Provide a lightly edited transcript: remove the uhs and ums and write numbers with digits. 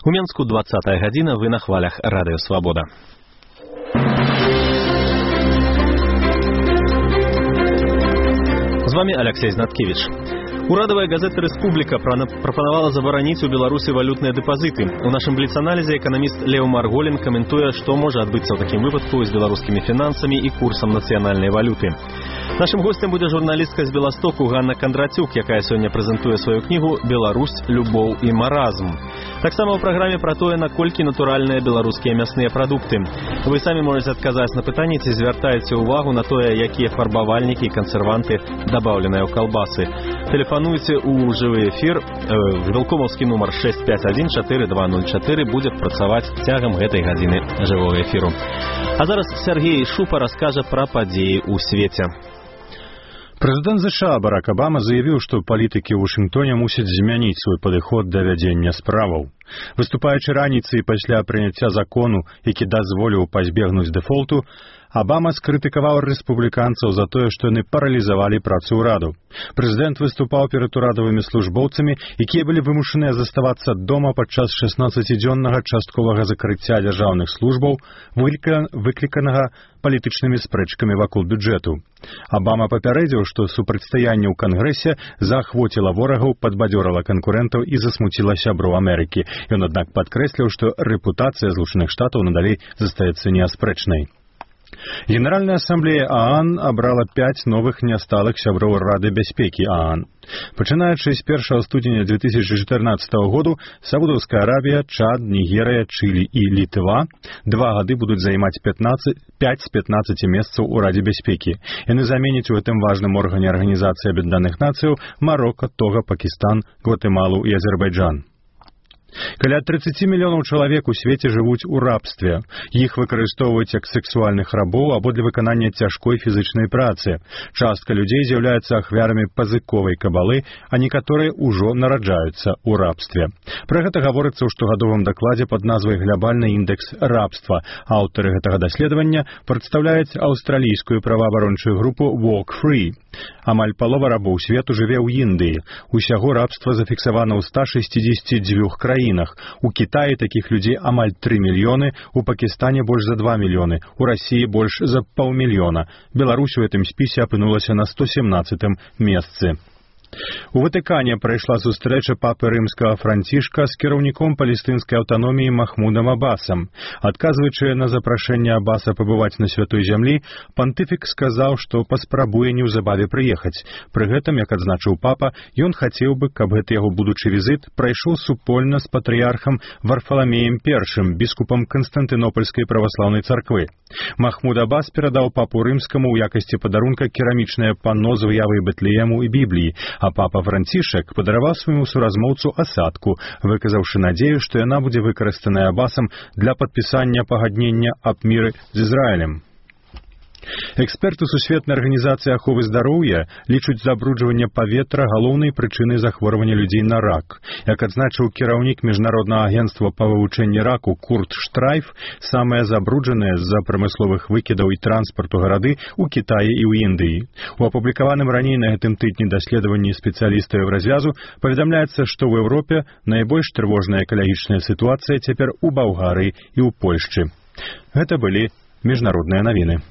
У Менску 20-я гадзіна, вы на хвалях Радыё Свабода. З вами Алексей Знаткевич. Урадавая газета «Республика» прапанавала забараніць у Беларусі валютныя дэпазіты. У нашым бліц-аналізе эканаміст Лео Марголін каментуе, што можа адбыцца ў такім выпадку з беларускімі фінансамі і курсам нацыянальнай валюты. Нашым гостем будзе журналістка з Беластоку Ганна Кондратюк, якая сёння прэзентуе сваю кнігу «Беларусь, любоў і маразм». Таксама ў праграме пра тое, наколькі натуральныя беларускія мясныя прадукты. Вы самі можаце адказаць на пытанне, ці звяртаеце ўвагу на тое, якія фарбавальнікі і кансерванты дабаўленыя ў калбасы. Тэлефануйце ў жывы эфір. Вілкомаўскі нумар 651-4204 будзе працаваць цягам гэтай гадзіны жывога эфіру. А зараз Сергей Шупа раскажа пра падзеі ў свеце. Прэзідэнт США Барак Абама заявіў, што палітыкі ў Вашынгтоне мусяць змяніць свой падыход да вядзення справаў. Выступаючы раніцай пасля прыняцця закону, які дазволіў пазбегнуць дэфолту, Абама скрытыкаваў рэспубліканцаў за тое, што яны паралізавалі працу ўраду. Прэзідэнт выступаў перад урадавымі службоўцамі, якія былі вымушаныя заставацца дома падчас 16-дзённага частковага закрыцця дзяржаўных службаў, выкліканага палітычнымі спрэчкамі вакол бюджэту. Абама папярэдзіў, што супрацьстаянне ў Кангрэсе заахвоціла ворагаў, падбадзёрыла канкурэнтаў і засмуціла сяброў Амерыкі. Ён, аднак, падкрэсліў, што рэпутацыя Злучаных Штатаў надалей застаецца неаспрэчнай. Генеральная ассамблея ААН абрала 5 новых нясталых сяброў Рады бяспекі ААН. Пачынаючы з 1 студзеня 2014 году Саудаўская Аравія, Чад, Нігерыя, Чылі і Літва 2 гады будуць займаць 5 з 15 месцаў у Радзе бяспекі. Яны заменяць у гэтым важным органе Арганізацыі Аб'яднаных Нацыяў Марока, Тога, Пакістан, Гватэмалу і Азербайджан. Каля 30 мільёнаў чалавек у свеце жывуць у рабстве. Іх выкарыстоўваюць як сексуальных рабоў або для выканання цяжкой фізычнай працы. Частка людзей з'яўляюцца ахвярамі пазыковай кабалы, а некаторыя ўжо нараджаюцца ў рабстве. Пра гэта гаворыцца ў штогадовым дакладзе пад назвай «Глобальны індэкс рабства». Аўтары гэтага даследавання прадстаўляюць аўстралійскую праваабарончую групу Walk Free. Амаль палова рабоў свету жыве ў Індыі. Усяго рабства зафіксавана ў 162 краінах. У Кітаі такіх людзей амаль 3 мільёны, у Пакістане больш за 2 мільёны, у Расіі больш за паўмільёна. Беларусь у гэтым спісе апынулася на 117-м месцы. У Ватыкане прайшла сустрэча папы рымскага Францішка з кіраўніком палестынскай аўтаноміі Махмудам Абасам. Адказваючы на запрашэнне Абаса пабываць на святой зямлі, пантыфік сказаў, што паспрабуе неўзабаве прыехаць. Пры гэтым, як адзначыў папа, ён хацеў бы, каб гэты яго будучы візіт прайшоў супольна з патрыярхам Варфаламеем I, біскупам Канстантынопольскай праваслаўнай царквы. Махмуд Абас перадаў папу рымскаму ў якасці падарунка керамічнае панно з выявай Бэтлеему і Бібліі, а папа Францішак падараваў свайму суразмоўцу асадку, выказаўшы надзею, што яна будзе выкарыстаная Абасам для падпісання пагаднення аб міры з Ізраілем. Эксперты Сусветнай арганізацыі аховы здароўя лічаць забруджванне паветра галоўнай прычынай захворвання людзей на рак. Як адзначыў кіраўнік міжнароднага агенцтва па вывучэнні раку Курт Штрайф, самыя забруджаныя з-за прамысловых выкідаў і транспарту гарады ў Кітаі і ў Індыі. У апублікаваным раней на гэтым тыдні даследаванні спецыялістаў Еўразвязу паведамляецца, што ў Еўропе найбольш трывожная экалагічная сітуацыя цяпер у Балгарыі і ў Польшчы. Гэта былі міжнародныя навіны.